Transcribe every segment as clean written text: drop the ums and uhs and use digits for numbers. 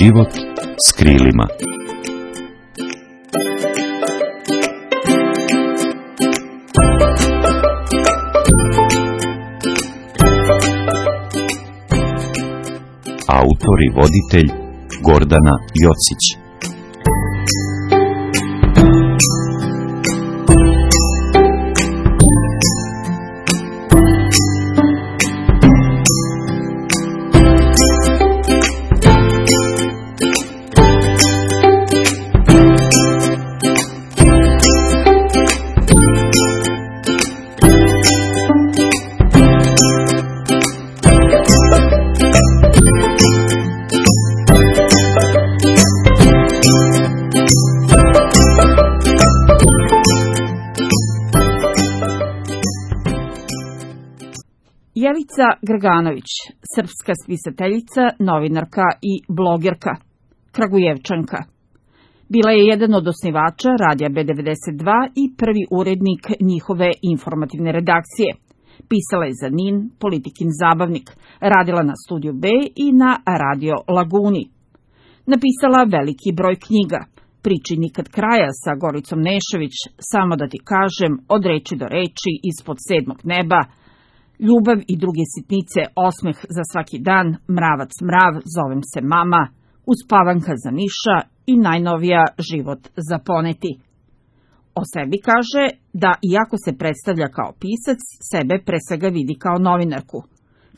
Život s krilima. Autor i voditelj Gordana Jocić. Jelica Greganović, srpska spisateljica, novinarka i blogerka, Kragujevčanka. Bila je jedan od osnivača Radija B92 i prvi urednik njihove informativne redakcije. Pisala je za NIN, Politikin zabavnik, radila na Studiju B i na Radio Laguni. Napisala veliki broj knjiga, Priči nikad kraja sa Goricom Nešović, Samo da ti kažem, Od reči do reči, Ispod sedmog neba, Ljubav i druge sitnice, Osmeh za svaki dan, Mravac mrav, Zovem se mama, Uspavanka za Niša i najnovija Život za poneti. O sebi kaže da iako se predstavlja kao pisac, sebe pre svega vidi kao novinarku.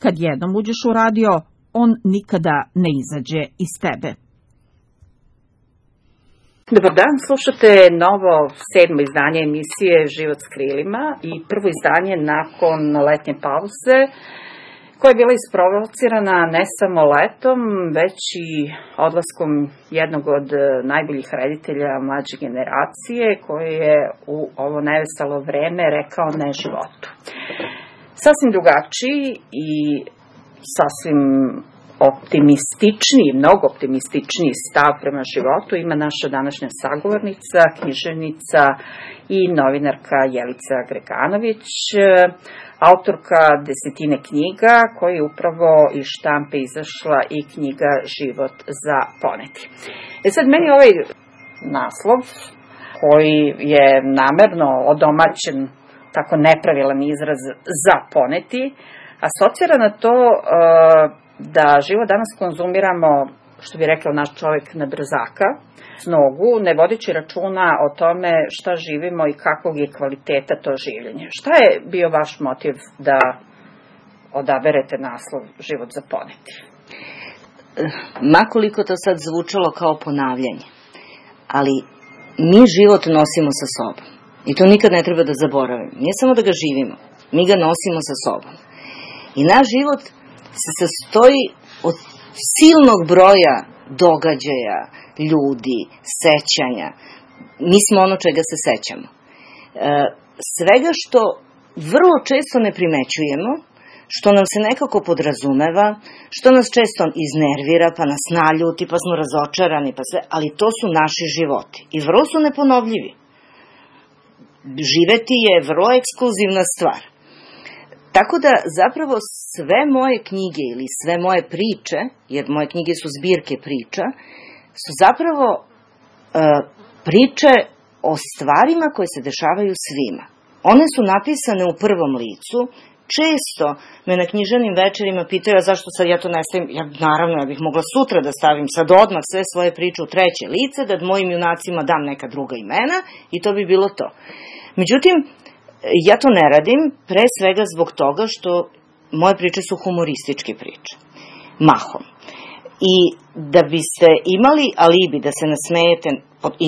Kad jednom uđeš u radio, on nikada ne izađe iz tebe. Dobar dan, slušate novo 7. izdanje emisije Život s krilima i prvo izdanje nakon letnje pauze koja je bila isprovocirana ne samo letom, već i odlaskom jednog od najboljih reditelja mlađe generacije koji je u ovo neveselo vreme rekao ne životu. Sasvim drugačiji i sasvim optimističniji, mnogo optimističniji stav prema životu ima naša današnja sagovornica, književnica i novinarka Jelica Greganović, autorka desetine knjiga, koja je upravo iz štampe izašla i knjiga Život za poneti. Sad, meni ovaj naslov, koji je namerno odomaćen, tako nepravilan izraz, za poneti, asocira na to da život danas konzumiramo, što bi rekao naš čovjek, na brzaka, s nogu, ne vodeći računa o tome šta živimo i kakvog je kvaliteta to življenje. Šta je bio vaš motiv da odaberete naslov Život za poneti? Makoliko to sad zvučalo kao ponavljanje, ali mi život nosimo sa sobom. I to nikad ne treba da zaboravimo. Nije samo da ga živimo, mi ga nosimo sa sobom. I naš život se sastoji od silnog broja događaja, ljudi, sećanja. Mi smo ono čega se sećamo. Svega što vrlo često ne primećujemo, što nam se nekako podrazumeva, što nas često iznervira, pa nas naljuti, pa smo razočarani, pa sve, ali to su naši životi. I vrlo su neponovljivi. Živeti je vrlo ekskluzivna stvar. Tako da zapravo sve moje knjige ili sve moje priče, jer moje knjige su zbirke priča, su zapravo priče o stvarima koje se dešavaju svima. One su napisane u prvom licu. Često me na književnim večerima pitaju zašto sad ja to ne stavim. Naravno, ja bih mogla sutra da stavim sad odmah sve svoje priče u treće lice, da mojim junacima dam neka druga imena i to bi bilo to. Međutim, ja to ne radim, pre svega zbog toga što moje priče su humorističke priče, mahom. I da biste imali alibi da se nasmejete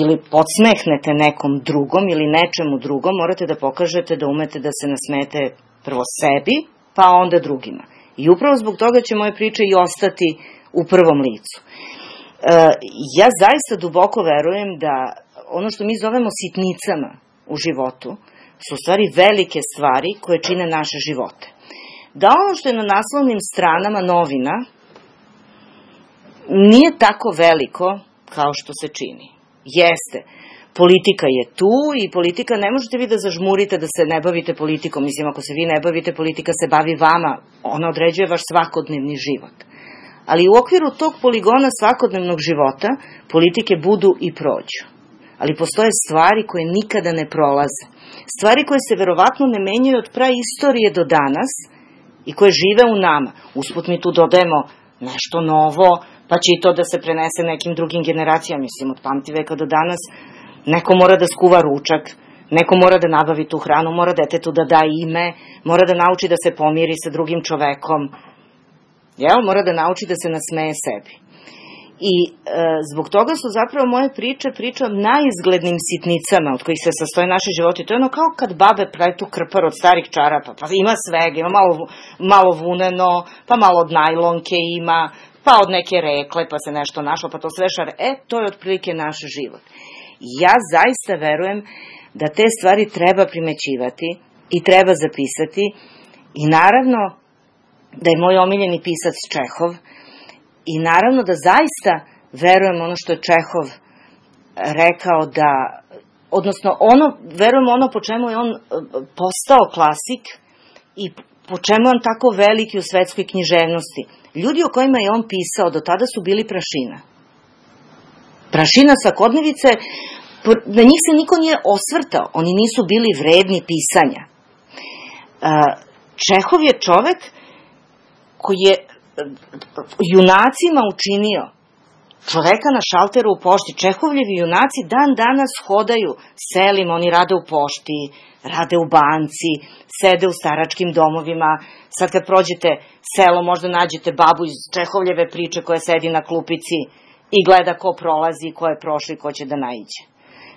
ili podsmehnete nekom drugom ili nečemu drugom, morate da pokažete da umete da se nasmejete prvo sebi, pa onda drugima. I upravo zbog toga će moje priče i ostati u prvom licu. Ja zaista duboko verujem da ono što mi zovemo sitnicama u životu su u stvari velike stvari koje čine naše živote. Da ono što je na naslovnim stranama novina nije tako veliko kao što se čini. Jeste, politika je tu i politika, ne možete vi da zažmurite da se ne bavite politikom. Mislim, ako se vi ne bavite, politika se bavi vama, ona određuje vaš svakodnevni život. ali u okviru tog poligona svakodnevnog života politike budu i prođu. Ali postoje stvari koje nikada ne prolaze. Stvari koje se verovatno ne menjaju od praistorije do danas i koje žive u nama. Usput mi tu dodajemo nešto novo, pa će i to da se prenese nekim drugim generacijama. Mislim, od pamtiveka do danas neko mora da skuva ručak, neko mora da nabavi tu hranu, mora detetu da da ime, mora da nauči da se pomiri sa drugim čovekom, mora da nauči da se nasmeje sebi. I zbog toga su zapravo moje priče o najizglednim sitnicama od kojih se sastoje naši životi. To je ono kao kad babe pravi tu krpar od starih čarapa, pa ima svega, ima malo vuneno, pa malo od najlonke ima, pa od neke rekle, pa se nešto našlo, pa to sve šare. To je otprilike naš život. Ja zaista verujem da te stvari treba primećivati i treba zapisati i naravno da je moj omiljeni pisac Čehov i naravno da zaista verujem ono što je Čehov rekao da, odnosno verujem ono po čemu je on postao klasik i po čemu je on tako veliki u svetskoj književnosti. Ljudi o kojima je on pisao do tada su bili prašina. Prašina svakodnevice, na njih se niko nije osvrtao, oni nisu bili vredni pisanja. Čehov je čovek koji je junacima učinio čoveka na šalteru u pošti. Čehovljevi junaci dan danas hodaju selima, oni rade u pošti, rade u banci, sede u staračkim domovima. Sad kad prođete selo, možda nađete babu iz Čehovljeve priče koja sedi na klupici i gleda ko prolazi, ko je prošao i ko će da naiđe.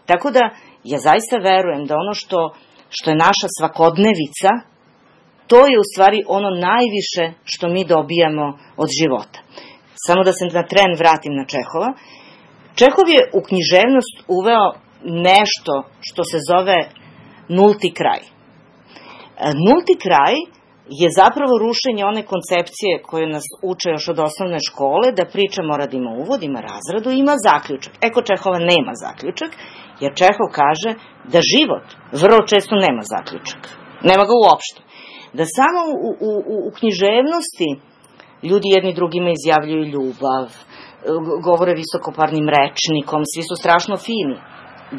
Tako da, ja zaista verujem da ono što je naša svakodnevica, to je u stvari ono najviše što mi dobijamo od života. Samo da se na tren vratim na Čehova. Čehov je u književnost uveo nešto što se zove nulti kraj. Nulti kraj je zapravo rušenje one koncepcije koje nas uče još od osnovne škole, da priča mora da ima uvod, ima razradu i ima zaključak. Kod Čehova nema zaključak, jer Čehov kaže da život vrlo često nema zaključak. Nema ga uopšte. Da samo u književnosti ljudi jedni drugima izjavljuju ljubav, govore visokoparnim rečnikom, svi su strašno fini.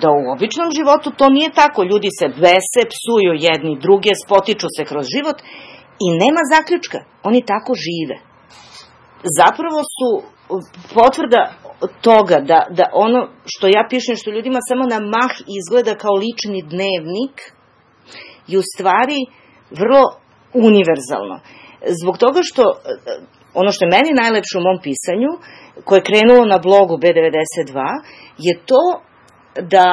Da u običnom životu to nije tako. Ljudi se bese, psuju jedni druge, spotiču se kroz život i nema zaključka. Oni tako žive. Zapravo su potvrda toga da ono što ja pišem, što ljudima samo na mah izgleda kao lični dnevnik, je u stvari vrlo univerzalno. Zbog toga što ono što je meni najlepše u mom pisanju, koje je krenulo na blogu B92, je to da,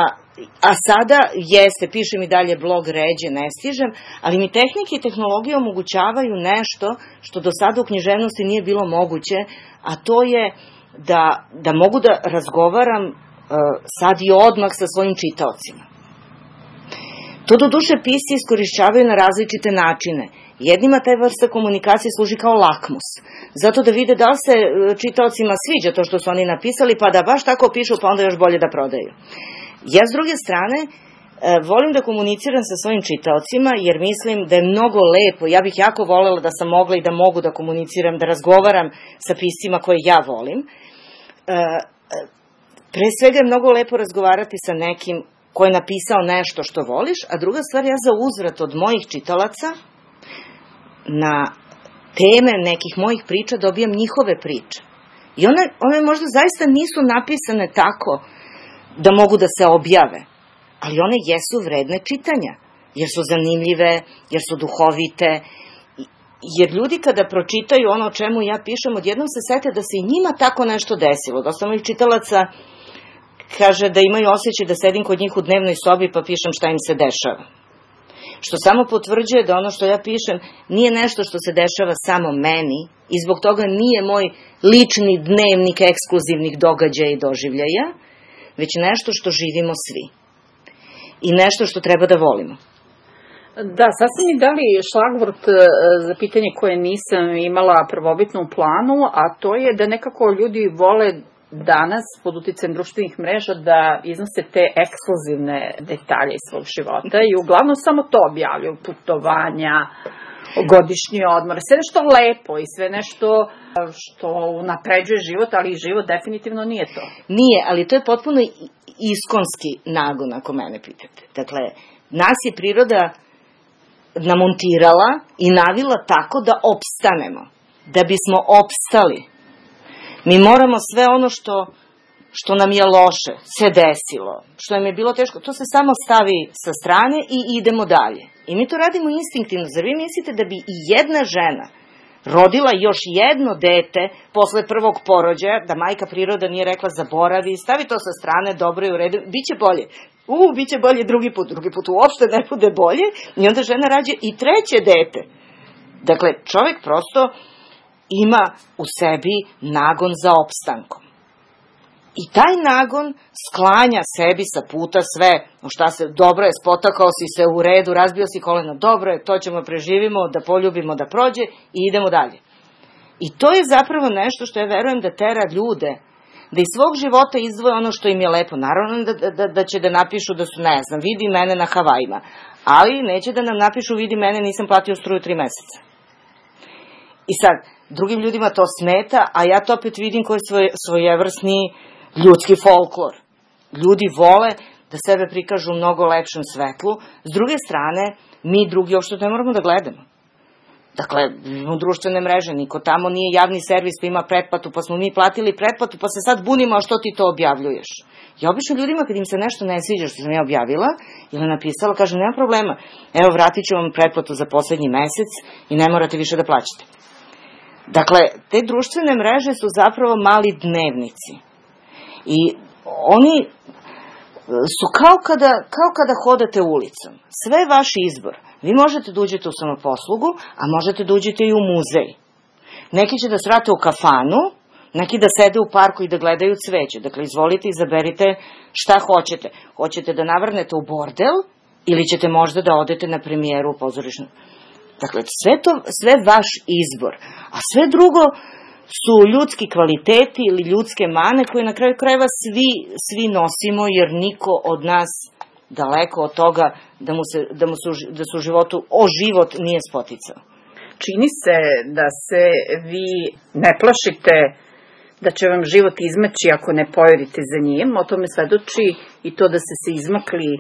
a sada jeste, pišem i dalje blog ređe, ne stižem, ali mi tehnike i tehnologije omogućavaju nešto što do sada u književnosti nije bilo moguće, a to je da mogu da razgovaram sad i odmah sa svojim čitaocima. To do duše pisci iskorišćavaju na različite načine. Jednima taj vrsta komunikacije služi kao lakmus, zato da vide da li se čitaocima sviđa to što su oni napisali, pa da baš tako pišu, pa onda još bolje da prodaju. Ja s druge strane volim da komuniciram sa svojim čitaocima, jer mislim da je mnogo lepo, ja bih jako volela da sam mogla i da mogu da komuniciram, da razgovaram sa piscima koje ja volim. Pre svega je mnogo lepo razgovarati sa nekim ko je napisao nešto što voliš, a druga stvar, ja za uzvrat od mojih čitalaca na teme nekih mojih priča dobijam njihove priče. I one možda zaista nisu napisane tako da mogu da se objave, ali one jesu vredne čitanja, jer su zanimljive, jer su duhovite, jer ljudi kada pročitaju ono o čemu ja pišem, odjednom se sete da se i njima tako nešto desilo. Dosta mojih čitalaca kaže da imaju osjećaj da sedim kod njih u dnevnoj sobi pa pišem šta im se dešava. Što samo potvrđuje da ono što ja pišem nije nešto što se dešava samo meni i zbog toga nije moj lični dnevnik ekskluzivnih događaja i doživljaja, već nešto što živimo svi. I nešto što treba da volimo. Da, sad ste mi dali šlagvort za pitanje koje nisam imala prvobitno u planu, a to je da nekako ljudi vole danas pod uticajem društvenih mreža da iznose te ekskluzivne detalje iz svog života i uglavnom samo to objavljaju, putovanja, godišnji odmor, sve nešto lepo i sve nešto što unapređuje život, ali život definitivno nije to. Nije, ali to je potpuno iskonski nagon, ako mene pitate. Dakle, nas je priroda namontirala i navila tako da opstanemo. Da bismo opstali, mi moramo sve ono što nam je loše, se desilo, što nam je bilo teško, to se samo stavi sa strane i idemo dalje. I mi to radimo instinktivno. Zar vi mislite da bi i jedna žena rodila još jedno dete posle prvog porođaja, da majka priroda nije rekla zaboravi, stavi to sa strane, dobro je u redu, biće bolje. Biće bolje drugi put uopšte ne bude bolje, i onda žena rađa i treće dete. Dakle, čovjek prosto ima u sebi nagon za opstankom. I taj nagon sklanja sebi sa puta sve, dobro je, spotakao si se u redu, razbio si koleno, dobro je, to ćemo preživimo, da poljubimo, da prođe i idemo dalje. I to je zapravo nešto što ja verujem da tera ljude, da iz svog života izdvoje ono što im je lepo. Naravno da će da napišu da su, ne znam, vidi mene na Havajima, ali neće da nam napišu vidi mene, nisam platio struju 3 meseca. I sad, drugim ljudima to smeta, a ja to opet vidim koji je svojevrsni ljudski folklor. Ljudi vole da sebe prikažu u mnogo lepšem svetlu. S druge strane, mi drugi uopšte ne moramo da gledamo. Dakle, u društvene mreže, niko tamo nije javni servis pa ima pretplatu, pa smo mi platili pretplatu, pa se sad bunimo, a što ti to objavljuješ? Ja obično ljudima, kad im se nešto ne sviđa što sam ja objavila ili napisala, kažem, nema problema, evo vratit ću vam pretplatu za poslednji mesec i ne morate više da plaćate. Dakle, te društvene mreže su zapravo mali dnevnici. I oni su kao kada hodate ulicom. Sve je vaš izbor. Vi možete da uđete u samoposlugu, a možete da uđete i u muzej. Neki će da srate u kafanu, neki da sede u parku i da gledaju cveće. Dakle, izvolite, izaberite šta hoćete. Hoćete da navrnete u bordel ili ćete možda da odete na premijeru u pozorišnu. Dakle, sve vaš izbor. A sve drugo su ljudski kvaliteti ili ljudske mane koje na kraju krajeva svi nosimo, jer niko od nas daleko od toga da se u životu o život nije spoticao. Čini se da se vi ne plašite da će vam život izmaći ako ne pojedite za njim. O tome svedoči i to da ste se izmakli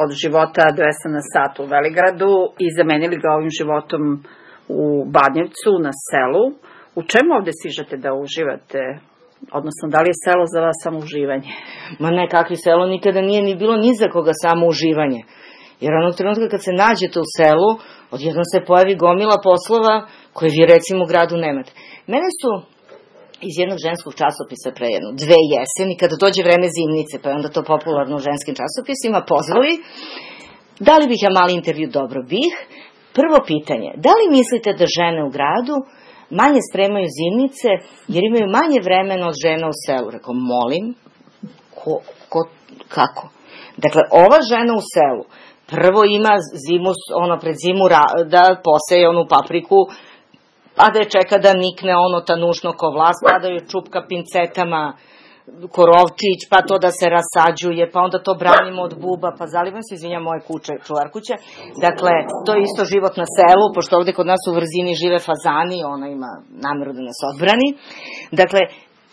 od života 200 na sat u Veligradu i zamenili ga ovim životom u Badnjevcu na selu. U čemu ovde stižete da uživate? Odnosno, da li je selo za vas samo uživanje? Ma ne, kakvi selo nikada nije ni bilo ni za koga samo uživanje. Jer onog trenutka kad se nađete u selu, odjednom se pojavi gomila poslova koje vi recimo u gradu nemate. Mene su iz jednog ženskog časopisa pre 2 jeseni, kada dođe vreme zimnice, pa je onda to popularno u ženskim časopisima, pozvali, dali bih ja mali intervju, dobro bih. Prvo pitanje, da li mislite da žene u gradu manje spremaju zimnice, jer imaju manje vremena od žena u selu? Rekao, molim, kako? Dakle, ova žena u selu prvo ima zimu, pred zimu da poseje onu papriku, pa da je čeka da nikne tanušno ko vlas, pa da joj čupka pincetama korovčić, pa to da se rasađuje, pa onda to branimo od buba, pa zalivam se, izvinjam, moje kuće, čuvar kuća. Dakle, to je isto život na selu, pošto ovde kod nas u Vrzini žive fazani, ona ima nameru da nas odbrani. Dakle,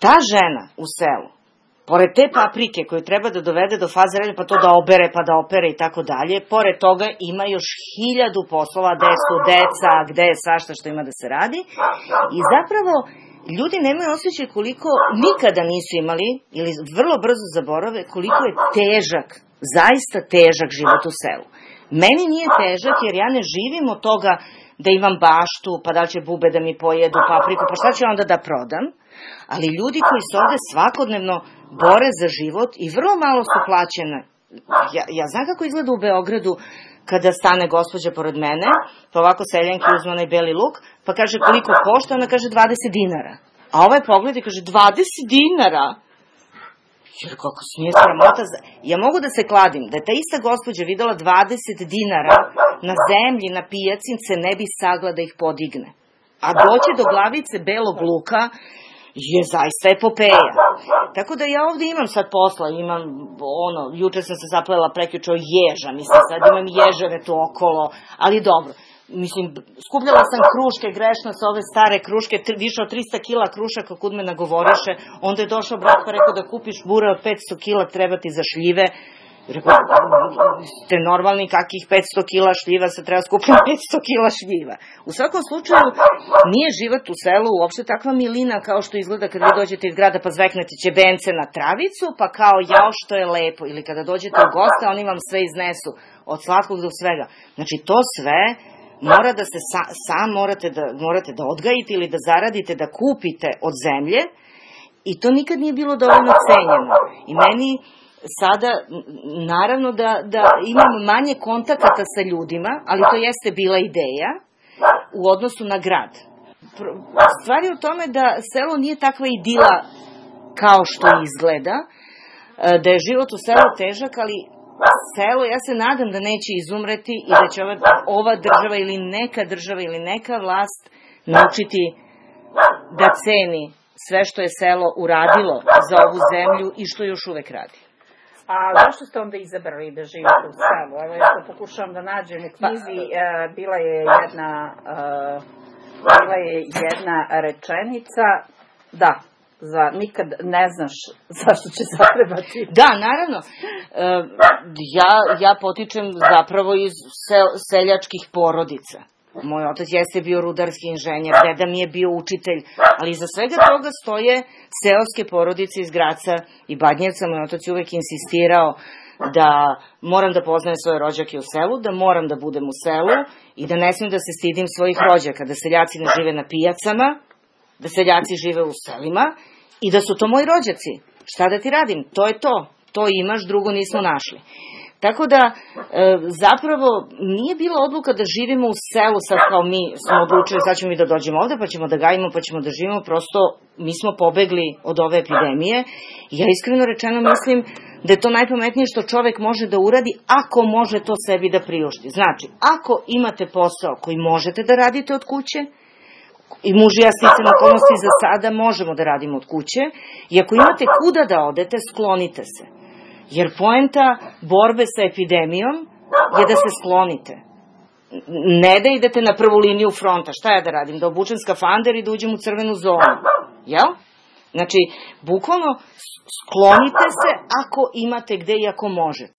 ta žena u selu, pored te paprike koju treba da dovede do faze relja, pa to da obere, pa da opere i tako dalje, pored toga ima još 1000 poslova, gde su deca, gde je svašta što ima da se radi. I zapravo, ljudi nemaju osjećaj koliko nikada nisu imali, ili vrlo brzo zaborave, koliko je težak, zaista težak život u selu. Meni nije težak jer ja ne živim od toga da imam baštu, pa da će bube da mi pojedu papriku, pa šta ću onda da prodam? Ali ljudi koji se ovde svakodnevno bore za život i vrlo malo su plaćene. Ja znam kako izgleda u Beogradu kada stane gospođa pored mene, pa ovako seljanki uzme onaj beli luk, pa kaže koliko košta, ona kaže 20 dinara. A ovaj pogled i kaže 20 dinara? Jer kako se nije sramota. Ja mogu da se kladim da je ta ista gospođa videla 20 dinara na zemlji, na pijaci, se ne bi sagla da ih podigne. A doći do glavice belog luka je zaista epopeja. Tako da ja ovde imam sad posla, imam juče sam se zaplela prekjuče o ježa, mislim sad imam ježeve tu okolo, ali dobro. mislim, skupljala sam kruške, grešno sa ove stare kruške, više od 300 kila krušaka kud me nagovoriše, onda je došao brat pa rekao da kupiš bure od 500 kila, treba ti za šljive. Rekao, ste normalni, kakih 500 kila šljiva, se treba skupiti 500 kila šljiva. U svakom slučaju, nije život u selu uopšte takva milina kao što izgleda kad vi dođete iz grada pa zveknete ćebence na travicu, pa kao jao što je lepo, ili kada dođete u goste, oni vam sve iznesu, od slatkog do svega. Znači, to sve mora da se sam morate da odgajite ili da zaradite, da kupite od zemlje, i to nikad nije bilo dovoljno cenjeno. I meni sada, naravno da imam manje kontakata sa ljudima, ali to jeste bila ideja u odnosu na grad. Stvar je u tome da selo nije takva idila kao što izgleda, da je život u selu težak, ali selo, ja se nadam da neće izumreti i da će ova država ili neka država ili neka vlast naučiti da ceni sve što je selo uradilo za ovu zemlju i što još uvek radi. A zašto ste onda izabrali da živite u selu? Evo, ja to pokušavam da nađem u knjizi, bila je jedna rečenica, da, nikad ne znaš zašto će zatrebati. Da, naravno. Ja potičem zapravo iz seljačkih porodica. Moj otac jeste bio rudarski inženjer, deda mi je bio učitelj, ali iza svega toga stoje seoske porodice iz Graca i Badnjevca. Moj otac je uvek insistirao da moram da poznajem svoje rođake u selu, da moram da budem u selu i da ne smijem da se stidim svojih rođaka, da seljaci ne žive na pijacama, da seljaci žive u selima i da su to moji rođaci. Šta da ti radim? To je to. To imaš, drugo nismo našli. Tako da, zapravo, nije bila odluka da živimo u selu, sad kao mi smo odlučili, sad ćemo mi da dođemo ovde, pa ćemo da gajimo, pa ćemo da živimo, prosto mi smo pobegli od ove epidemije. Ja iskreno rečeno mislim da je to najpametnije što čovek može da uradi ako može to sebi da priušti. Znači, ako imate posao koji možete da radite od kuće, i muž i ja sticam okolnosti za sada možemo da radimo od kuće, i ako imate kuda da odete, sklonite se. Jer poenta borbe sa epidemijom je da se sklonite. Ne da idete na prvu liniju fronta. Šta ja da radim? Da obučem skafander i da uđem u crvenu zonu. Jel? Znači, bukvalno sklonite se ako imate gde i ako možete.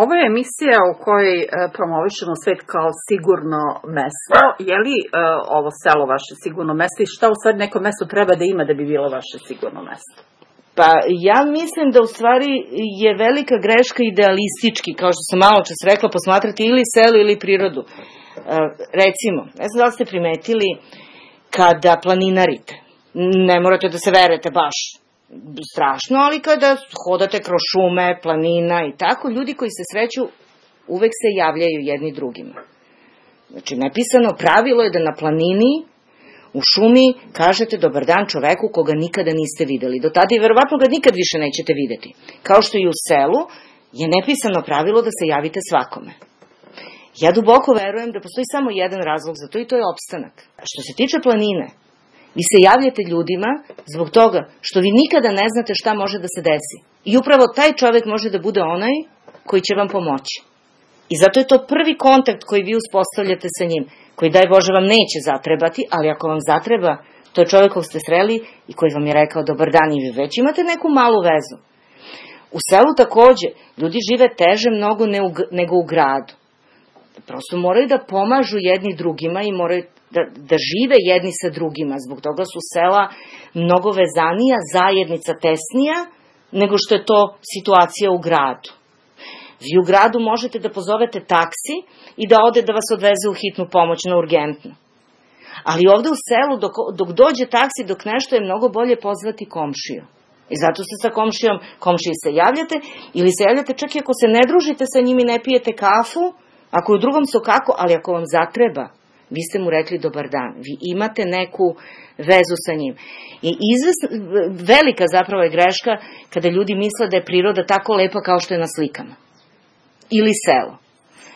Ovo je emisija u kojoj promovišemo svet kao sigurno mesto. Je li ovo selo vaše sigurno mesto i šta u stvari neko mesto treba da ima da bi bilo vaše sigurno mesto? Pa ja mislim da u stvari je velika greška idealistički, kao što sam malo čas rekla, posmatrati ili selo ili prirodu. Recimo, ne znam da li ste primetili kada planinarite, ne morate da se verujete baš strašno, ali kada hodate kroz šume, planina i tako, ljudi koji se sreću uvek se javljaju jedni drugima. Znači, nepisano pravilo je da na planini, u šumi, kažete dobar dan čoveku koga nikada niste videli. Do tada i verovatno ga nikad više nećete videti. Kao što i u selu je nepisano pravilo da se javite svakome. Ja duboko verujem da postoji samo jedan razlog za to i to je opstanak. Što se tiče planine, vi se javljate ljudima zbog toga što vi nikada ne znate šta može da se desi. I upravo taj čovek može da bude onaj koji će vam pomoći. I zato je to prvi kontakt koji vi uspostavljate sa njim, koji daj Bože vam neće zatrebati, ali ako vam zatreba, to je čovek kog ste sreli i koji vam je rekao dobar dan i vi već imate neku malu vezu. U selu takođe, ljudi žive teže mnogo nego u gradu. Prosto moraju da pomažu jedni drugima i moraju da žive jedni sa drugima. Zbog toga su sela mnogo vezanija, zajednica tesnija, nego što je to situacija u gradu. Vi u gradu možete da pozovete taksi i da ode da vas odveze u hitnu pomoć na urgentnu. Ali ovde u selu, dok dođe taksi, dok nešto je mnogo bolje pozvati komšiju. I zato se sa komšiji se javljate, ili se javljate čak i ako se ne družite sa njim i ne pijete kafu, ako je u drugom sokaku, ali ako vam zatreba, vi ste mu rekli dobar dan. Vi imate neku vezu sa njim. I velika zapravo je greška kada ljudi misle da je priroda tako lepa kao što je na slikama. Ili selo.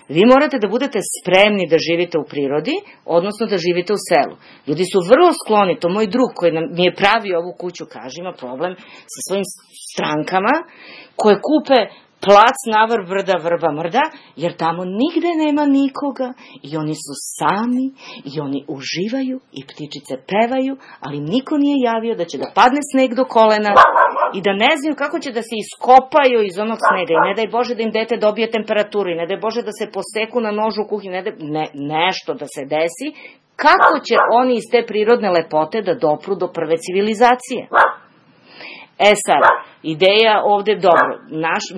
Vi morate da budete spremni da živite u prirodi, odnosno da živite u selu. Ljudi su vrlo skloni, to moj drug koji mi je pravio ovu kuću, kaže, ima problem sa svojim strankama, koje kupe plac navrh brda vrba mrda, jer tamo nigde nema nikoga i oni su sami i oni uživaju i ptičice pevaju, ali im niko nije javio da će da padne sneg do kolena i da ne znaju kako će da se iskopaju iz onog snega i ne daj Bože da im dete dobije temperaturu i ne daj Bože da se poseku na nožu u kuhinji, nešto da se desi, kako će oni iz te prirodne lepote da dopru do prve civilizacije? Sad, ideja ovde dobro.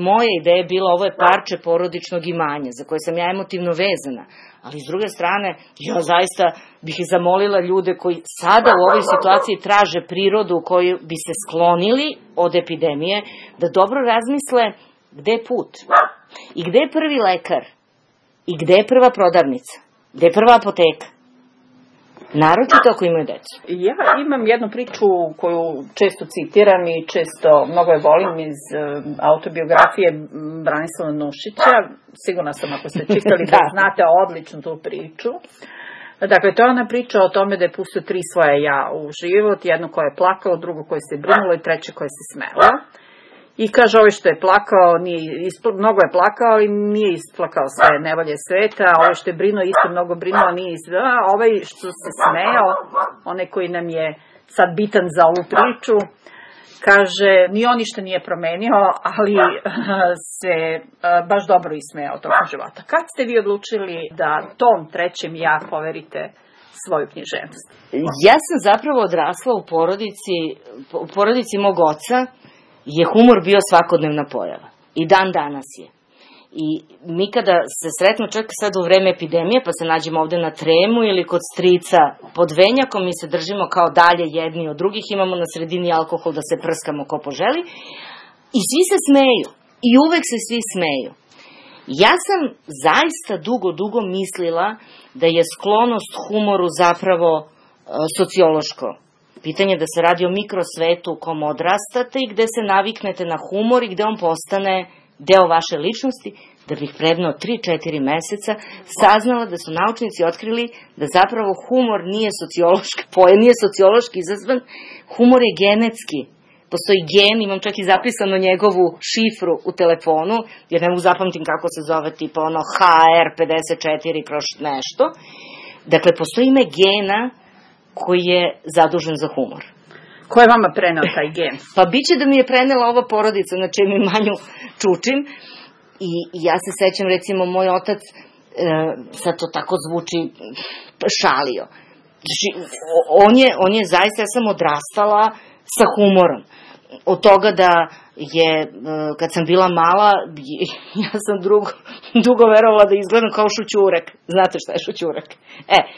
Moja ideja je bila, ovo je parče porodičnog imanja, za koje sam ja emotivno vezana. Ali s druge strane, ja zaista bih zamolila ljude koji sada u ovoj situaciji traže prirodu u kojoj bi se sklonili od epidemije, da dobro razmisle gde je put. I gde je prvi lekar? I gde je prva prodavnica? Gde je prva apoteka? Naročito ako imaju decu. Ja imam jednu priču koju često citiram i često mnogo je volim iz autobiografije Branislava Nušića. Sigurna sam ako ste čitali da znate odlično tu priču. Dakle, to je ona priča o tome da je pustio 3 svoje ja u život. Jedno koje je plakalo, drugo koje se brinulo i treće koje se smelo. I kaže, ovaj što je plakao, mnogo je plakao, ali nije isplakao sve nevolje sveta, a ovaj što je brinuo, isto mnogo brinuo, a nije isplakao, a ovaj što se smejao, onaj koji nam je sad bitan za ovu priču, kaže, ni on ništa nije promenio, ali se baš dobro ismejao tokom života. Kad ste vi odlučili da tom trećem ja poverite svoju književnost? Ja sam zapravo odrasla u porodici mog oca, je humor bio svakodnevna pojava. I dan danas je. I mi kada se sretno čak sad u vreme epidemije, pa se nađemo ovde na Tremu ili kod strica pod venjakom, mi se držimo kao dalje jedni od drugih, imamo na sredini alkohol da se prskamo ko poželi. I svi se smeju. I uvek se svi smeju. Ja sam zaista dugo mislila da je sklonost humoru zapravo sociološko pitanje, da se radi o mikrosvetu u kom odrastate i gde se naviknete na humor i gde on postane deo vaše ličnosti, da bih predno 3-4 meseca saznala da su naučnici otkrili da zapravo humor nije sociološki izazvan, humor je genetski. Postoji gen, imam čak i zapisano njegovu šifru u telefonu, jer ne mogu zapamtim kako se zove, tipa ono HR54 kroz nešto. Dakle, postoji ime gena koji je zadužen za humor. Ko je vama preneo taj gen? Pa biće da mi je prenela ova porodica, na čijem imanju čučim. I ja se sećam, recimo, moj otac, sad to tako zvuči, šalio. On je zaista, ja sam odrastala sa humorom. Od toga da je, kad sam bila mala, ja sam dugo verovala da izgledam kao šućurek. Znate šta je šućurek?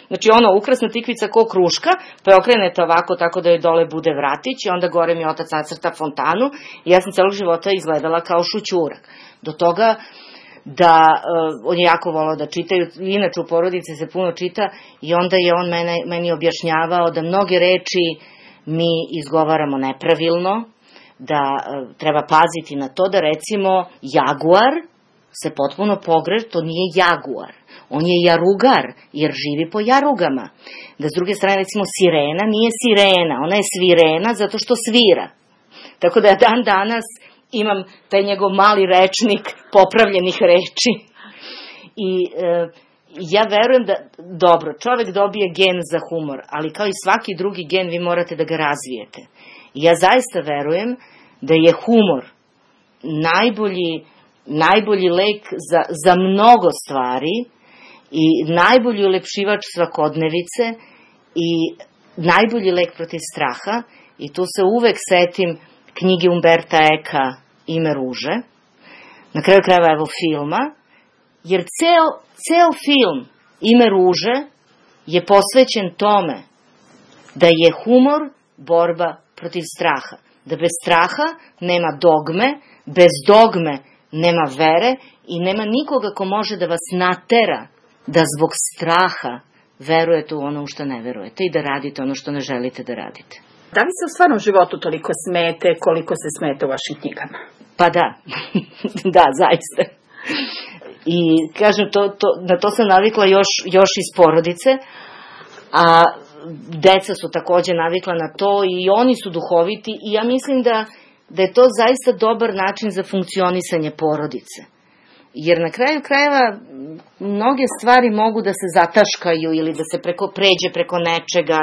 Znači ukrasna tikvica ko kruška, pa je okrenete ovako tako da joj dole bude vratić i onda gore mi otac nacrta fontanu i ja sam celog života izgledala kao šućurek. Do toga da on je jako volao da čitaju, inače u porodici se puno čita i onda je on meni objašnjavao da mnoge reči mi izgovaramo nepravilno, da treba paziti na to da recimo jaguar se potpuno pogreši, to nije jaguar, on je jarugar jer živi po jarugama. Da s druge strane recimo sirena nije sirena, ona je svirena zato što svira. Tako da ja dan danas imam taj njegov mali rečnik popravljenih reči. I ja verujem da, dobro, čovek dobije gen za humor, ali kao i svaki drugi gen vi morate da ga razvijete. I ja zaista verujem da je humor najbolji lek za mnogo stvari i najbolji ulepšivač svakodnevice i najbolji lek protiv straha. I tu se uvek setim knjige Umberta Eka Ime ruže, na kraju krajeva evo filma, jer ceo film Ime ruže je posvećen tome da je humor borba protiv straha. Da bez straha nema dogme, bez dogme nema vere i nema nikoga ko može da vas natera da zbog straha verujete u ono u što ne verujete i da radite ono što ne želite da radite. Da li se u stvarnom životu toliko smete koliko se smete u vašim knjigama? Pa da, da, zaista. I kažem, na to sam navikla još iz porodice, a deca su takođe navikla na to i oni su duhoviti i ja mislim da je to zaista dobar način za funkcionisanje porodice. Jer na kraju krajeva mnoge stvari mogu da se zataškaju ili da se pređe preko nečega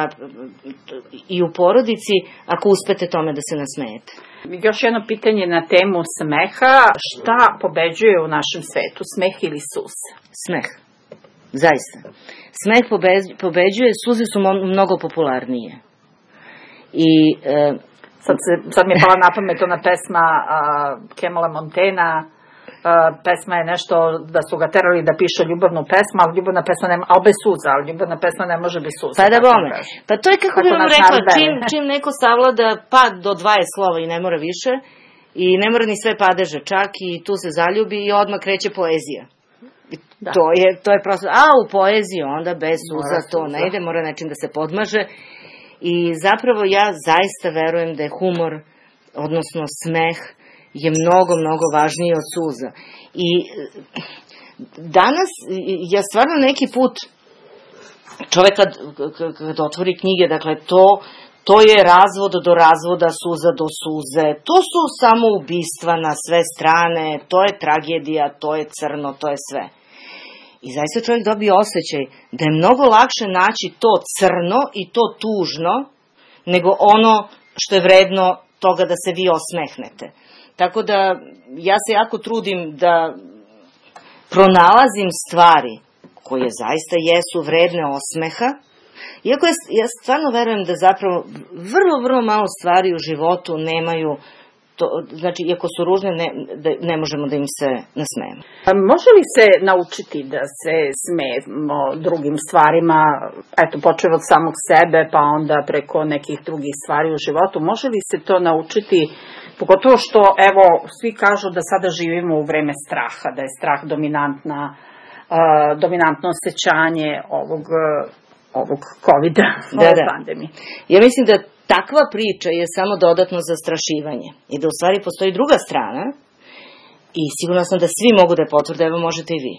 i u porodici ako uspete tome da se nasmejete. Još jedno pitanje na temu smeha. Šta pobeđuje u našem svetu, smeh ili suze? Smeh. Zaista. Smeh pobeđuje, suze su mnogo popularnije. I sad mi je pala na pamet ona pesma Kemala Montaignea, pesma je nešto da su ga terali da piše ljubavnu pesmu, ali ljubavna pesma nema, ali bez suza, ali ljubavna pesma ne može bez suza. Pa da bome. Pa to je kako bi vam rekla, čim neko savlada pad do 20 slova i ne mora više, i ne mora ni sve padeže čak, i tu se zaljubi i odmah kreće poezija. Da. To je prosto, a u poeziji onda bez suza to ne ide, mora nečim da se podmaže. I zapravo ja zaista verujem da je humor, odnosno smeh, je mnogo važniji od suza. I danas, ja stvarno neki put, čovek kad otvori knjige, dakle, to je razvod do razvoda, suza do suze, to su samo ubistva na sve strane, to je tragedija, to je crno, to je sve. I zaista čovjek dobije osjećaj da je mnogo lakše naći to crno i to tužno, nego ono što je vredno toga da se vi osmehnete. Tako da ja se jako trudim da pronalazim stvari koje zaista jesu vredne osmeha, iako ja stvarno verujem da zapravo vrlo malo stvari u životu nemaju, znači iako su ružne, ne možemo da im se nasmejemo. Može li se naučiti da se smejemo drugim stvarima, eto počeo od samog sebe pa onda preko nekih drugih stvari u životu, može li se to naučiti? Pogotovo što, evo, svi kažu da sada živimo u vreme straha, da je strah dominantno osjećanje ovog COVID-a, ove pandemije. Ja mislim da takva priča je samo dodatno zastrašivanje i da u stvari postoji druga strana i sigurno sam da svi mogu da je potvrde, evo možete i vi.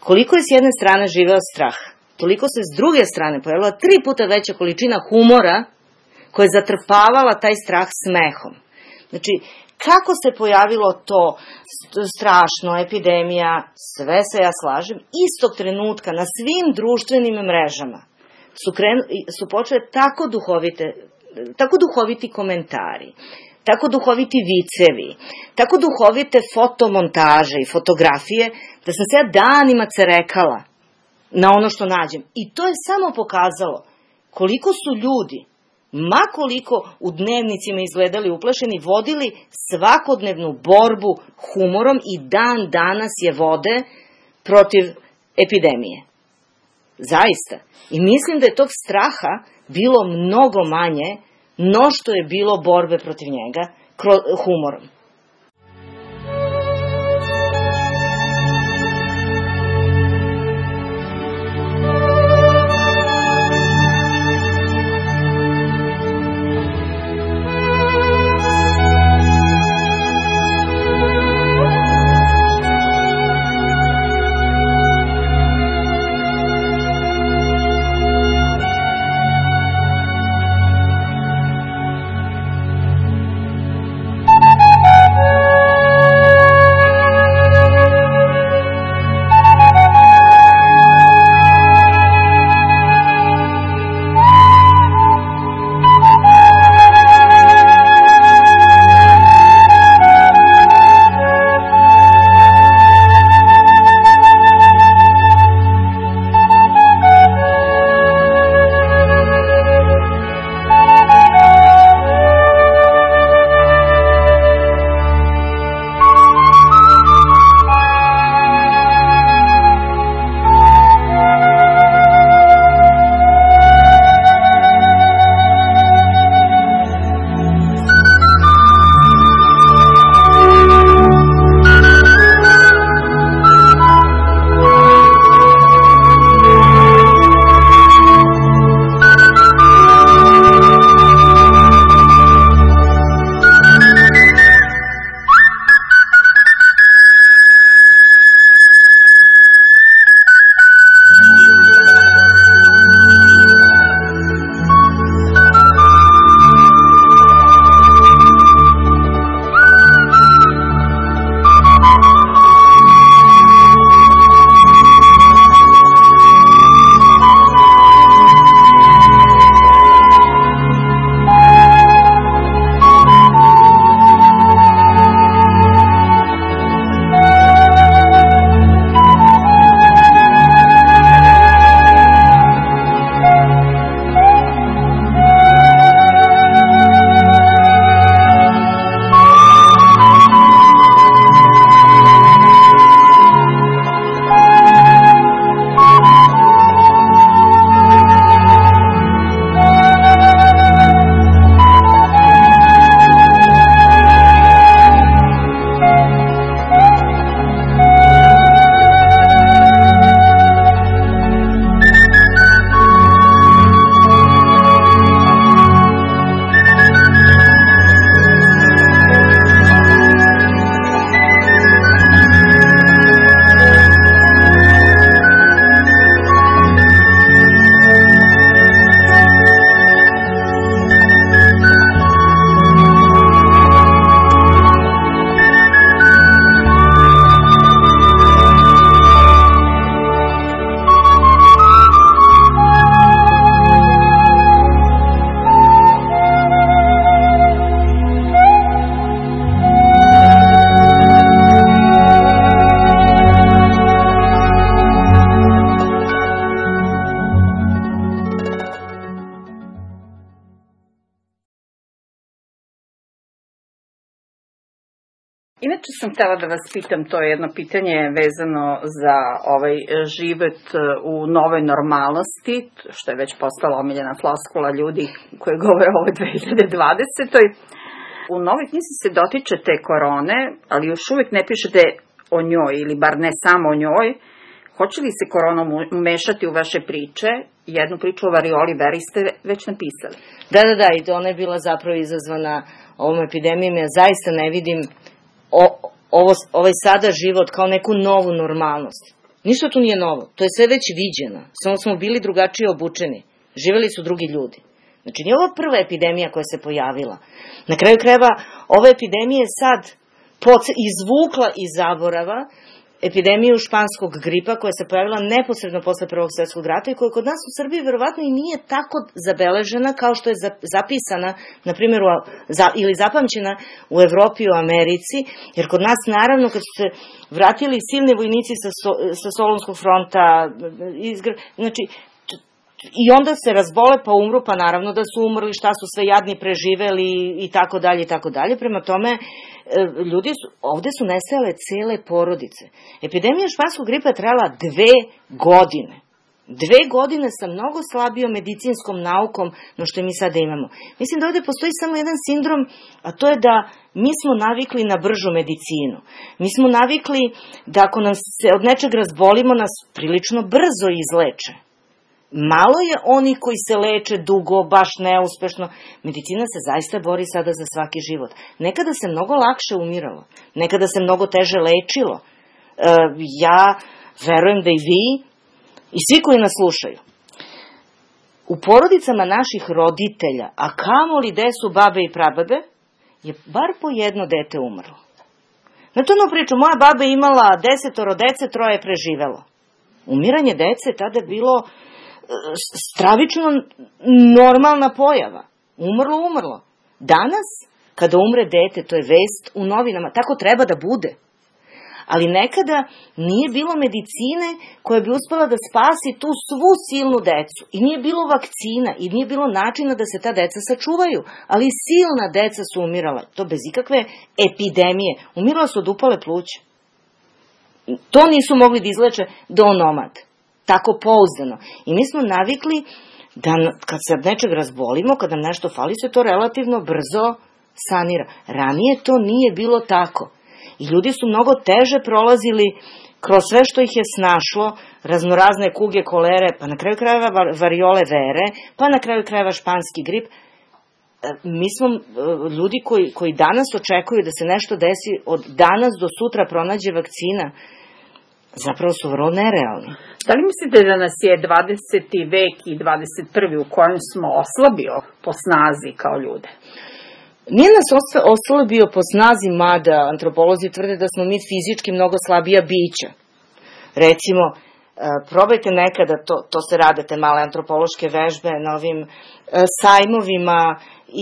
Koliko je s jedne strane živeo strah, toliko se s druge strane pojavila 3 puta veća količina humora koja je zatrpavala taj strah smehom. Znači, kako se pojavilo to strašno, epidemija, sve se ja slažem, istog trenutka na svim društvenim mrežama su počele tako duhoviti komentari, tako duhoviti vicevi, tako duhovite fotomontaže i fotografije, da sam se ja danima cerekala na ono što nađem. I to je samo pokazalo koliko su ljudi, ma koliko u dnevnicima izgledali uplašeni, vodili svakodnevnu borbu humorom i dan danas je vode protiv epidemije. Zaista. I mislim da je tog straha bilo mnogo manje no što je bilo borbe protiv njega humorom. Inače sam htela da vas pitam, to je jedno pitanje vezano za ovaj život u novoj normalnosti, što je već postala omiljena floskula ljudi koji govore o ovoj 2020. U novoj knjizi se dotičete korone, ali još uvijek ne pišete o njoj, ili bar ne samo o njoj. Hoće li se korona umešati u vaše priče? Jednu priču o varioli veri ste već napisali. Da, i ona je bila zapravo izazvana ovom epidemijom. Ja zaista ne vidim ovaj sada život kao neku novu normalnost. Ništa tu nije novo, to je sve već viđeno, samo smo bili drugačije obučeni, živeli su drugi ljudi. Znači, nije ovo prva epidemija koja se pojavila. Na kraju krajeva, ova epidemija je sad izvukla iz zaborava epidemiju španskog gripa koja se pojavila neposredno posle Prvog svjetskog rata i koja kod nas u Srbiji verovatno i nije tako zabeležena kao što je zapisana, na primjer, ili zapamćena u Evropi i u Americi, jer kod nas naravno kad su se vratili silni vojnici sa Solunskog fronta, znači, i onda se razbole pa umru, pa naravno da su umrli, šta su sve jadni preživeli i tako dalje i tako dalje. Prema tome, ovde su nestajale cele porodice. Epidemija španskog gripa je trajala 2 godine. 2 godine sa mnogo slabijom medicinskom naukom no što mi sada imamo. Mislim da ovde postoji samo jedan sindrom, a to je da mi smo navikli na bržu medicinu. Mi smo navikli da ako nam se od nečeg razbolimo, nas prilično brzo izleče. Malo je oni koji se leče dugo, baš neuspešno. Medicina se zaista bori sada za svaki život. Nekada se mnogo lakše umiralo. Nekada se mnogo teže lečilo. Ja verujem da i vi i svi koji nas slušaju. U porodicama naših roditelja, a kamoli gde su babe i prababe, je bar po jedno dete umrlo. Znate onu priču, moja baba je imala 10 dece, 3 je preživelo. Umiranje dece tada je bilo stravično normalna pojava. Umrlo. Danas, kada umre dete, to je vest u novinama. Tako treba da bude. Ali nekada nije bilo medicine koja bi uspela da spasi tu svu silnu decu. I nije bilo vakcina, i nije bilo načina da se ta deca sačuvaju. Ali silna deca su umirala. To bez ikakve epidemije. Umirala su od upale pluća. To nisu mogli da izleče do onomad. Tako pouzdano. I mi smo navikli da kad se nečeg razbolimo, kad nam nešto fali, se to relativno brzo sanira. Ranije to nije bilo tako. I ljudi su mnogo teže prolazili kroz sve što ih je snašlo, raznorazne kuge, kolere, pa na kraju krajeva variole vere, pa na kraju krajeva španski grip. Mi smo ljudi koji danas očekuju da se nešto desi od danas do sutra pronađe vakcina, zapravo su vrlo nerealni. Da li mislite da nas je 20. vek i 21. u kojem smo oslabio po snazi kao ljude? Nije nas oslabio po snazi, mada antropolozi tvrde da smo mi fizički mnogo slabija bića. Recimo, probajte nekada, to se rade te male antropološke vežbe na ovim sajmovima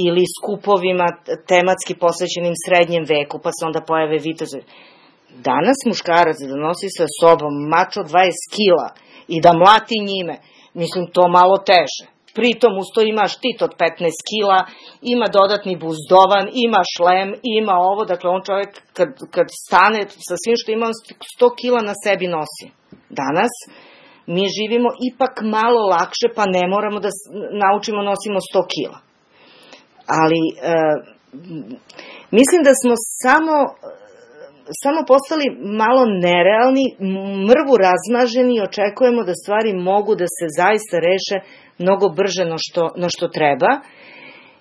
ili skupovima tematski posvećenim srednjem veku, pa se onda pojave vitezovi. Danas muškarac da nosi sa sobom mač od 20 kila i da mlati njime, mislim to malo teže. Pritom uz to ima štit od 15 kila, ima dodatni buzdovan, ima šlem, ima ovo, dakle on čovjek kad stane sa svim što ima, 100 kila na sebi nosi. Danas mi živimo ipak malo lakše, pa ne moramo da naučimo nosimo 100 kila. Ali mislim da smo samo postali malo nerealni, mrvu razmaženi i očekujemo da stvari mogu da se zaista reše mnogo brže no što treba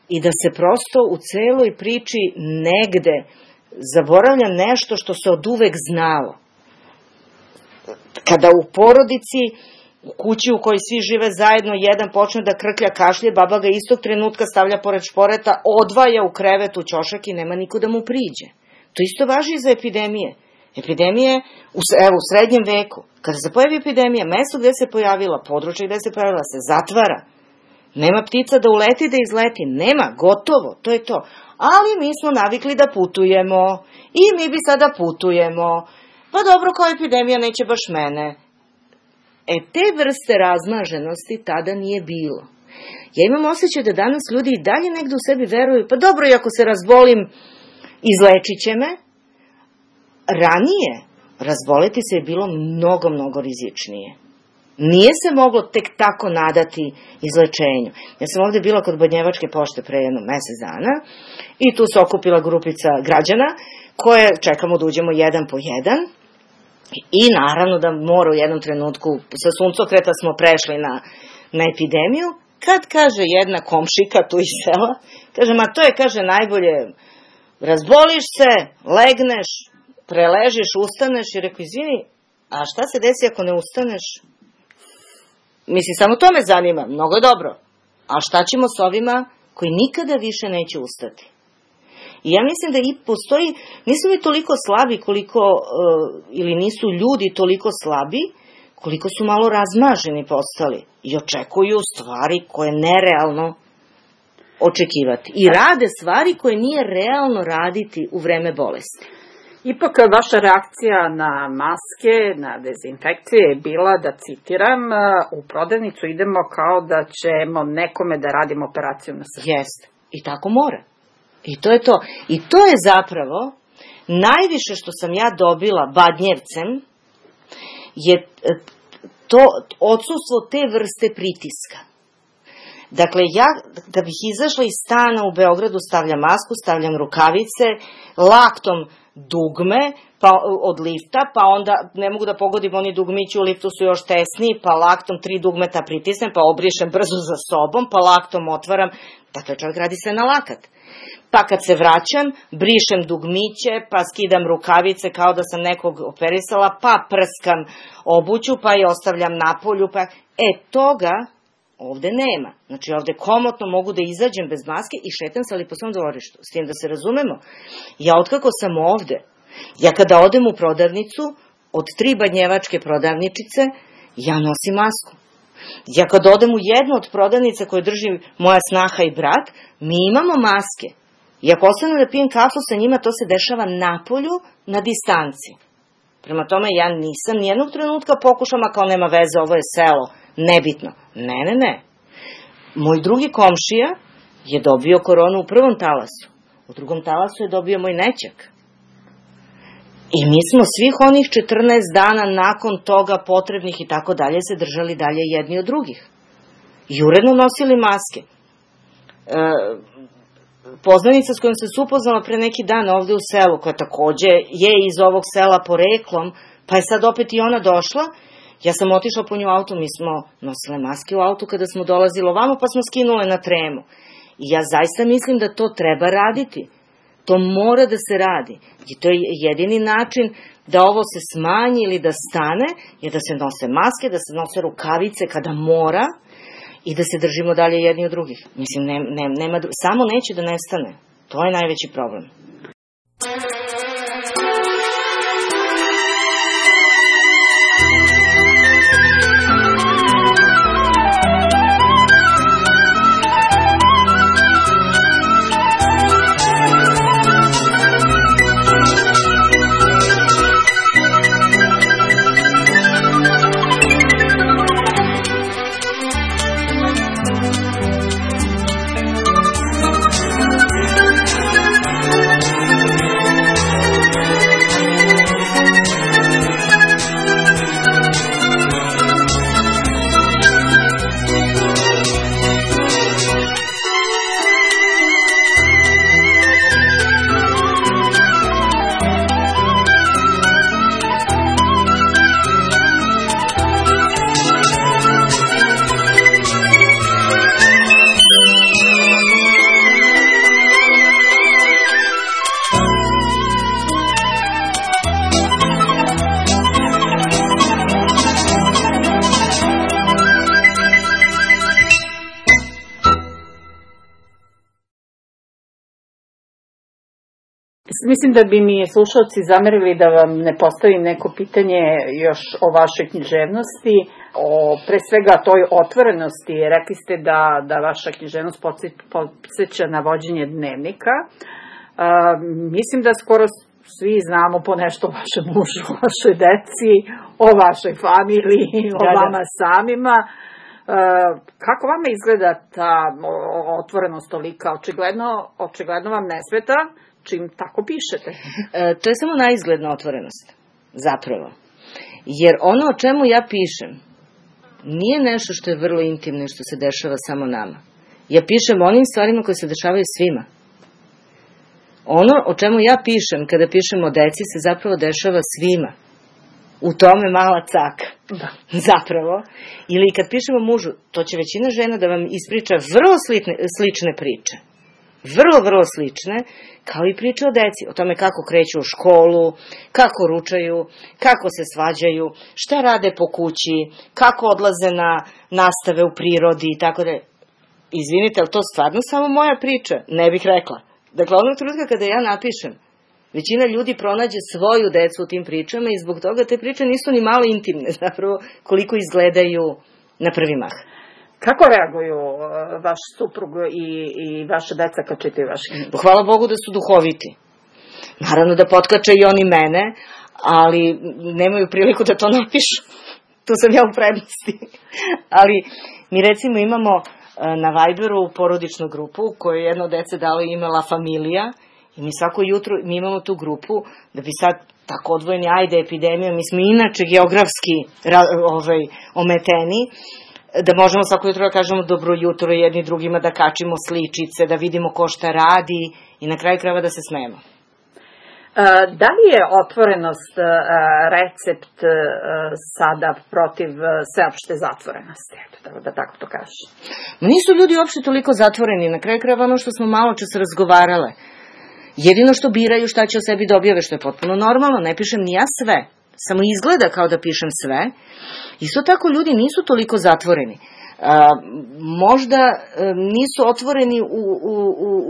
i da se prosto u celoj priči negde zaboravlja nešto što se od uvek znalo. Kada u porodici, u kući u kojoj svi žive zajedno, jedan počne da krklja, kašlje, baba ga istog trenutka stavlja pored šporeta, odvaja u krevet u ćošak i nema niko da mu priđe. To isto važi i za epidemije. Epidemije, u srednjem veku, kada se pojavi epidemija, mesto gde se pojavila, područje gde se pojavila, se zatvara. Nema ptica da uleti, da izleti. Nema, gotovo, to je to. Ali mi smo navikli da putujemo i mi bi sada putujemo. Pa dobro, kao epidemija neće baš mene. Te vrste razmaženosti tada nije bilo. Ja imam osjećaj da danas ljudi i dalje negde u sebi veruju, pa dobro, i ako se razbolim, izlečit će me. Ranije razboleti se je bilo mnogo, mnogo rizičnije. Nije se moglo tek tako nadati izlečenju. Ja sam ovde bila kod Badnjevačke pošte pre jedno mesec dana i tu se okupila grupica građana koje čekamo da uđemo jedan po jedan i naravno da mora u jednom trenutku sa suncokreta smo prešli na epidemiju, kad kaže jedna komšika tu iz sela, kaže, ma to je, kaže, najbolje, razboliš se, legneš, preležiš, ustaneš i rekao, izvini, a šta se desi ako ne ustaneš? Mislim, samo to me zanima, mnogo je dobro. A šta ćemo s ovima koji nikada više neće ustati? I ja mislim da i postoji, nisu mi toliko slabi koliko, ili nisu ljudi toliko slabi, koliko su malo razmaženi postali i očekuju stvari koje je nerealno očekivati. I rade stvari koje nije realno raditi u vreme bolesti. Ipak vaša reakcija na maske, na dezinfekcije je bila, da citiram, u prodavnicu idemo kao da ćemo nekome da radimo operaciju na srcu. Jeste. I tako mora. I to je to. I to je zapravo najviše što sam ja dobila badnjevcem je to odsustvo te vrste pritiska. Dakle, ja da bih izašla iz stana u Beogradu stavljam masku, stavljam rukavice, laktom dugme od lifta, pa onda ne mogu da pogodim, oni dugmići u liftu su još tesniji, pa laktom 3 dugmeta pritisnem, pa obrišem brzo za sobom, pa laktom otvaram. Dakle, čovjek radi sve na lakat. Pa kad se vraćam, brišem dugmiće, pa skidam rukavice kao da sam nekog operisala, pa prskam obuću, pa je ostavljam na polju, pa... toga ovde nema. Znači, ovde komotno mogu da izađem bez maske i šetam se ali po svom dvorištu. S tim da se razumemo. Ja otkako sam ovde, ja kada odem u prodavnicu, od 3 badnjevačke prodavničice, ja nosim masku. Ja kad odem u jednu od prodavnica koje drži moja snaha i brat, mi imamo maske. I ako ostanem da pijem kafu sa njima, to se dešava napolju, na distanci. Prema tome, ja nisam nijednog trenutka pokušala kao nema veze, ovo je selo, nebitno. Ne. Moj drugi komšija je dobio koronu u prvom talasu. U drugom talasu je dobio moj nećak. I mi smo svih onih 14 dana nakon toga potrebnih i tako dalje se držali dalje jedni od drugih. I uredno nosili maske. Poznanica s kojom se upoznala pre neki dan ovde u selu, koja takođe je iz ovog sela poreklom, pa je sad opet i ona došla, ja sam otišla po nju auto, mi smo nosile maske u autu kada smo dolazili ovamo, pa smo skinule na tremu. I ja zaista mislim da to treba raditi. To mora da se radi. I to je jedini način da ovo se smanji ili da stane, je da se nose maske, da se nose rukavice kada mora i da se držimo dalje jedni od drugih. Mislim, samo neće da nestane. To je najveći problem. Mislim da bi mi slušalci zamerili da vam ne postavim neko pitanje još o vašoj književnosti, o pre svega toj otvorenosti. Rekli ste da vaša književnost podsjeća na vođenje dnevnika. Mislim da skoro svi znamo po nešto o vašem mužu, o vašoj deci, o vašoj familiji, o vama samima. Kako vama izgleda ta otvorenost tolika? Očigledno vam ne smeta čim tako pišete. To je samo naizgledna otvorenost, zapravo. Jer ono o čemu ja pišem nije nešto što je vrlo intimno i što se dešava samo nama. Ja pišem o onim stvarima koje se dešavaju svima. Ono o čemu ja pišem, kada pišem o deci, se zapravo dešava svima. U tome mala caka. Da. Zapravo. Ili kad pišem o mužu, to će većina žena da vam ispriča vrlo slične priče. Vrlo slične, kao i priče o deci, o tome kako kreću u školu, kako ručaju, kako se svađaju, šta rade po kući, kako odlaze na nastave u prirodi i tako da. Izvinite, ali to stvarno samo moja priča? Ne bih rekla. Dakle, onog trenutka kada ja napišem, većina ljudi pronađe svoju decu u tim pričama i zbog toga te priče nisu ni malo intimne, zapravo, koliko izgledaju na prvi mah. Kako reaguju vaš suprug i vaša deca kad čitaju vaše knjige? Hvala Bogu da su duhoviti. Naravno da potkače i oni mene, ali nemaju priliku da to napišu. Tu sam ja u prednosti. Ali mi recimo imamo na Viberu porodičnu grupu koju je jedno od dece dalo ime La Familija i mi svako jutro, mi imamo tu grupu da bi sad tako odvojeni, ajde epidemija, mi smo inače geografski ometeni, da možemo svako jutro da kažemo dobro jutro jedni drugima, da kačimo sličice, da vidimo ko šta radi i na kraju krajeva da se smejemo. Da li je otvorenost recept sada protiv sveopšte zatvorenosti? Da tako to kažem. Nisu ljudi uopšte toliko zatvoreni. Na kraju krajeva ono što smo malo čas razgovarale. Jedino što biraju šta će o sebi da objave, što je potpuno normalno. Ne pišem ni ja sve. Samo izgleda kao da pišem sve. Isto tako ljudi nisu toliko zatvoreni. Možda nisu otvoreni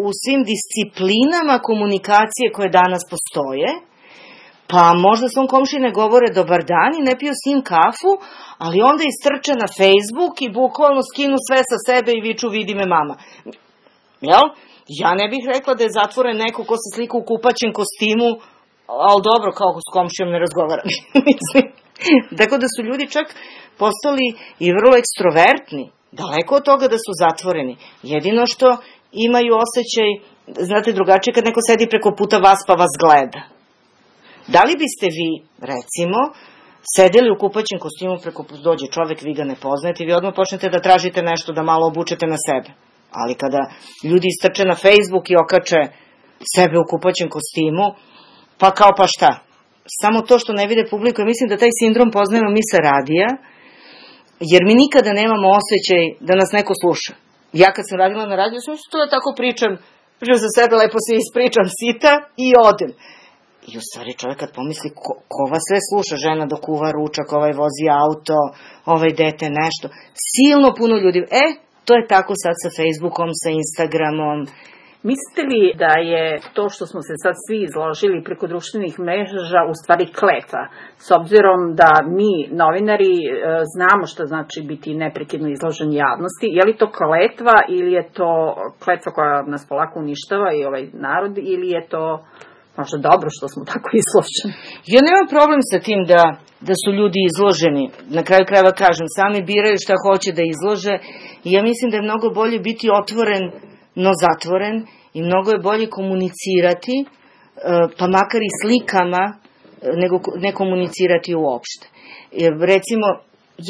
u svim disciplinama komunikacije koje danas postoje, pa možda svom komšiji ne govore dobar dan i ne piju s njim kafu, ali onda istrče na Facebook i bukvalno skinu sve sa sebe i viču vidi me mama. Jel? Ja ne bih rekla da je zatvoren neko ko se slika u kupaćem kostimu, ali dobro, kao s komšijom ne razgovaram. Tako da su ljudi čak postali i vrlo ekstrovertni, daleko od toga da su zatvoreni. Jedino što imaju osjećaj, znate, drugačije kad neko sedi preko puta vas pa vas gleda. Da li biste vi, recimo, sedeli u kupaćem kostimu preko puta dođe čovek, vi ga ne poznajete i vi odmah počnete da tražite nešto da malo obučete na sebe. Ali kada ljudi istrče na Facebook i okače sebe u kupaćem kostimu, pa kao pa šta? Samo to što ne vide publiku, ja mislim da taj sindrom poznajemo mi sa radija, jer mi nikada nemamo osjećaj da nas neko sluša. Ja kad sam radila na radiju, sam to da tako pričam za sebe, lepo se ispričam sita i odem. I u stvari čovjek kad pomisli ko vas sve sluša, žena dok kuva ručak, ovaj vozi auto, ovaj dete nešto, silno puno ljudi. To je tako sad sa Facebookom, sa Instagramom. Mislite li da je to što smo se sad svi izložili preko društvenih mreža u stvari kletva? S obzirom da mi, novinari, znamo što znači biti neprekidno izložen javnosti, je li to kletva ili je to kletva koja nas polako uništava i ovaj narod ili je to možda dobro što smo tako izloženi? Ja nemam problem sa tim da su ljudi izloženi. Na kraju krajeva kažem, sami biraju šta hoće da izlože i ja mislim da je mnogo bolje biti otvoren no zatvoren i mnogo je bolje komunicirati, pa makar i slikama, nego ne komunicirati uopšte. Recimo,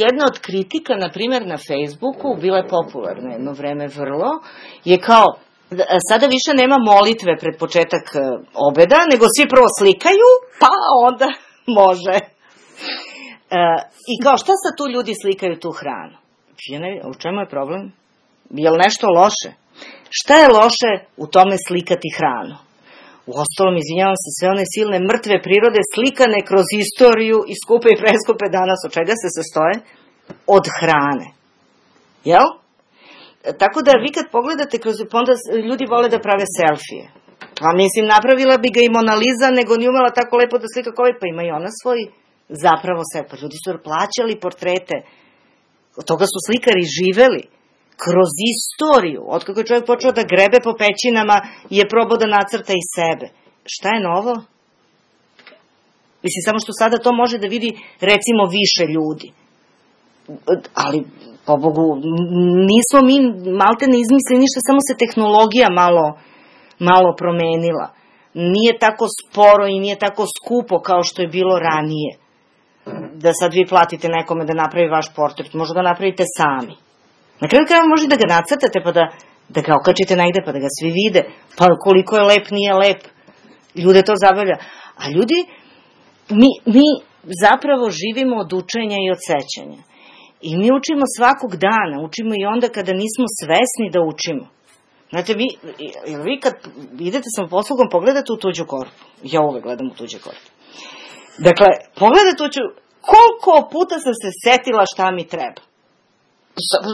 jedna od kritika, na primjer na Facebooku, bila je popularna jedno vreme vrlo, je kao, sada više nema molitve pred početak obeda, nego svi prvo slikaju, pa onda može. I kao, šta sad tu ljudi slikaju tu hranu? U čemu je problem? Je li nešto loše? Šta je loše u tome slikati hranu? Uostalom, izvinjavam se, sve one silne mrtve prirode slikane kroz istoriju i skupe i preskupe danas, od čega se sastoje? Od hrane. Jel? Tako da vi kad pogledate, onda ljudi vole da prave selfije. Pa mislim, napravila bi ga i Mona Lisa, nego ni umela tako lepo da slika kao pa ima i ona svoj zapravo sve. Pa ljudi su plaćali portrete. Od toga su slikari živeli. Kroz istoriju, otkako je čovjek počeo da grebe po pećinama, je probao da nacrta i sebe. Šta je novo? Mislim, samo što sada to može da vidi, recimo, više ljudi. Ali, po Bogu, nismo mi malte ne izmislili ništa, samo se tehnologija malo promenila. Nije tako sporo i nije tako skupo kao što je bilo ranije. Da sad vi platite nekome da napravi vaš portret, možda ga napravite sami. Na kraju krajeva možete da ga nacrtate pa da ga okačite negde pa da ga svi vide, pa koliko je lep, nije lep. Ljude to zabavlja. A ljudi, mi zapravo živimo od učenja i od sećanja. I mi učimo svakog dana, učimo i onda kada nismo svesni da učimo. Znate, vi kad idete sa poslugom, pogledate u tuđu korpu. Ja uvek gledam u tuđe korpu. Dakle, pogledate koliko puta sam se setila šta mi treba.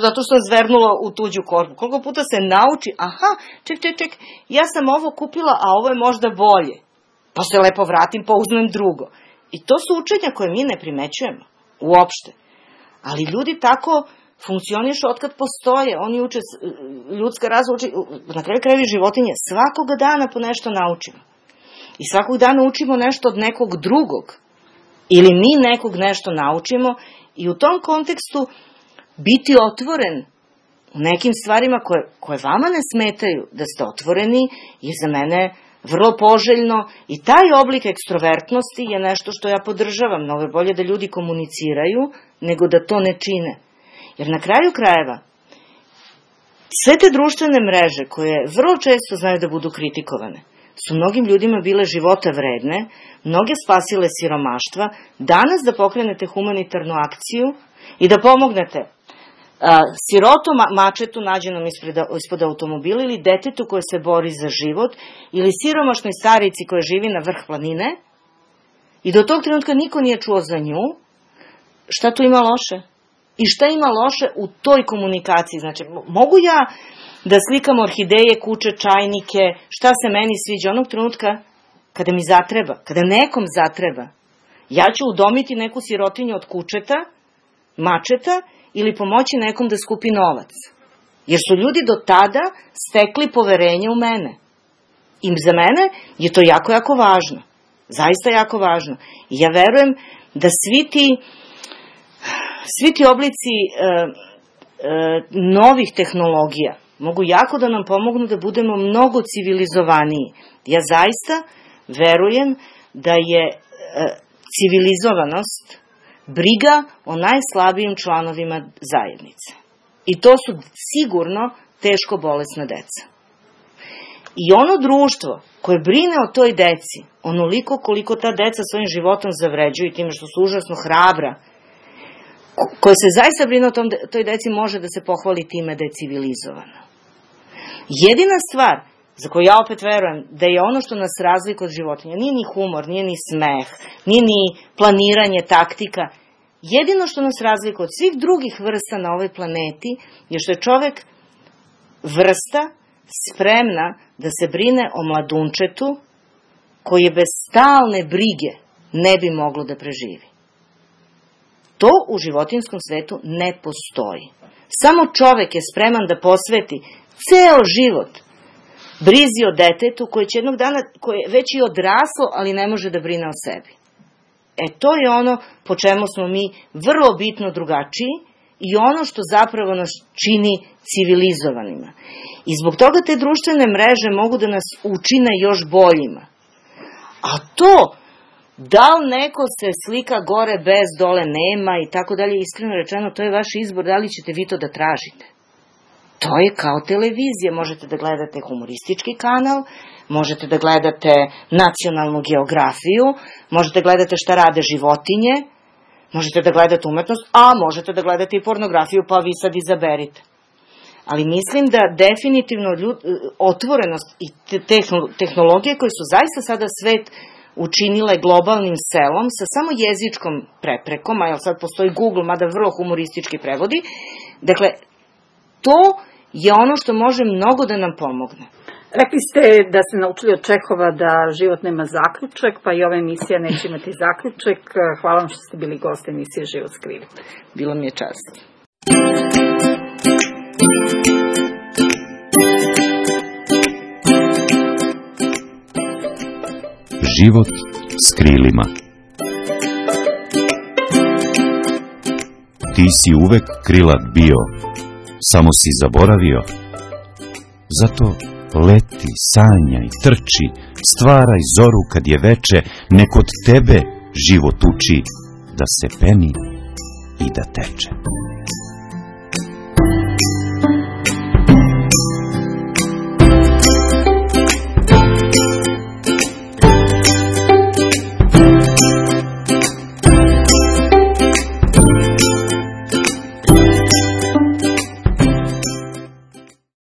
zato što je zvernula u tuđu korpu. Koliko puta se nauči, aha, ček, ja sam ovo kupila, a ovo je možda bolje. Pa se lepo vratim, pa uzmem drugo. I to su učenja koje mi ne primećujemo, uopšte. Ali ljudi tako funkcionišu otkad postoje, oni uče, ljudska rasa uči, na kraju krajeva životinje, svakoga dana po nešto naučimo. I svakog dana učimo nešto od nekog drugog. Ili mi nekog nešto naučimo i u tom kontekstu biti otvoren u nekim stvarima koje vama ne smetaju, da ste otvoreni, je za mene vrlo poželjno i taj oblik ekstrovertnosti je nešto što ja podržavam. Mnogo je bolje da ljudi komuniciraju nego da to ne čine. Jer na kraju krajeva, sve te društvene mreže koje vrlo često znaju da budu kritikovane, su mnogim ljudima bile života vredne, mnoge spasile siromaštva, danas da pokrenete humanitarnu akciju i da pomognete siroto mačetu nađenom ispod automobila ili detetu koje se bori za život ili siromašnoj starici koja živi na vrh planine i do tog trenutka niko nije čuo za nju, šta tu ima loše? I šta ima loše u toj komunikaciji? Znači, mogu ja da slikam orhideje, kuće, čajnike, šta se meni sviđa onog trenutka kada mi zatreba, kada nekom zatreba. Ja ću udomiti neku sirotinju od kučeta, mačeta ili pomoći nekom da skupi novac. Jer su ljudi do tada stekli poverenje u mene. I za mene je to jako, jako važno. Zaista jako važno. I ja verujem da svi ti oblici novih tehnologija mogu jako da nam pomognu da budemo mnogo civilizovaniji. Ja zaista verujem da je civilizovanost briga o najslabijim članovima zajednice. I to su sigurno teško bolesna deca. I ono društvo koje brine o toj deci, onoliko koliko ta deca svojim životom zavređuju i time što su užasno hrabra, koje se zaista brine o toj deci, može da se pohvali time da je civilizovana. Jedina stvar za koju ja opet verujem da je ono što nas razlikuje od životinja, nije ni humor, nije ni smeh, nije ni planiranje, taktika. Jedino što nas razlikuje od svih drugih vrsta na ovoj planeti je što je čovek vrsta spremna da se brine o mladunčetu koji bez stalne brige ne bi moglo da preživi. To u životinskom svetu ne postoji. Samo čovek je spreman da posveti ceo život brizi o detetu koje će jednog dana, koje je već i odraslo, ali ne može da brine o sebi. To je ono po čemu smo mi vrlo bitno drugačiji i ono što zapravo nas čini civilizovanima. I zbog toga te društvene mreže mogu da nas učine još boljima. A to, da li neko se slika gore bez, dole nema i tako dalje, iskreno rečeno, to je vaš izbor, da li ćete vi to da tražite. To je kao televizija, možete da gledate humoristički kanal, možete da gledate nacionalnu geografiju, možete da gledate šta rade životinje, možete da gledate umetnost, a možete da gledate i pornografiju, pa vi sad izaberite. Ali mislim da definitivno otvorenost i tehnologije koje su zaista sada svet učinile globalnim selom sa samo jezičkom preprekom, a sad postoji Google, mada vrlo humoristički prevodi, dakle, to je ono što može mnogo da nam pomogne. Rekli ste da ste naučili od Čehova da život nema zaključak, pa i ova emisija neće imati zaključak. Hvala vam što ste bili gost emisije Život skriven. Bilo mi je čast. Život s krilima. Ti si uvek krilat bio, samo si zaboravio. Zato leti, sanjaj, trči, stvaraj zoru kad je veče, nek od tebe život uči da se peni i da teče.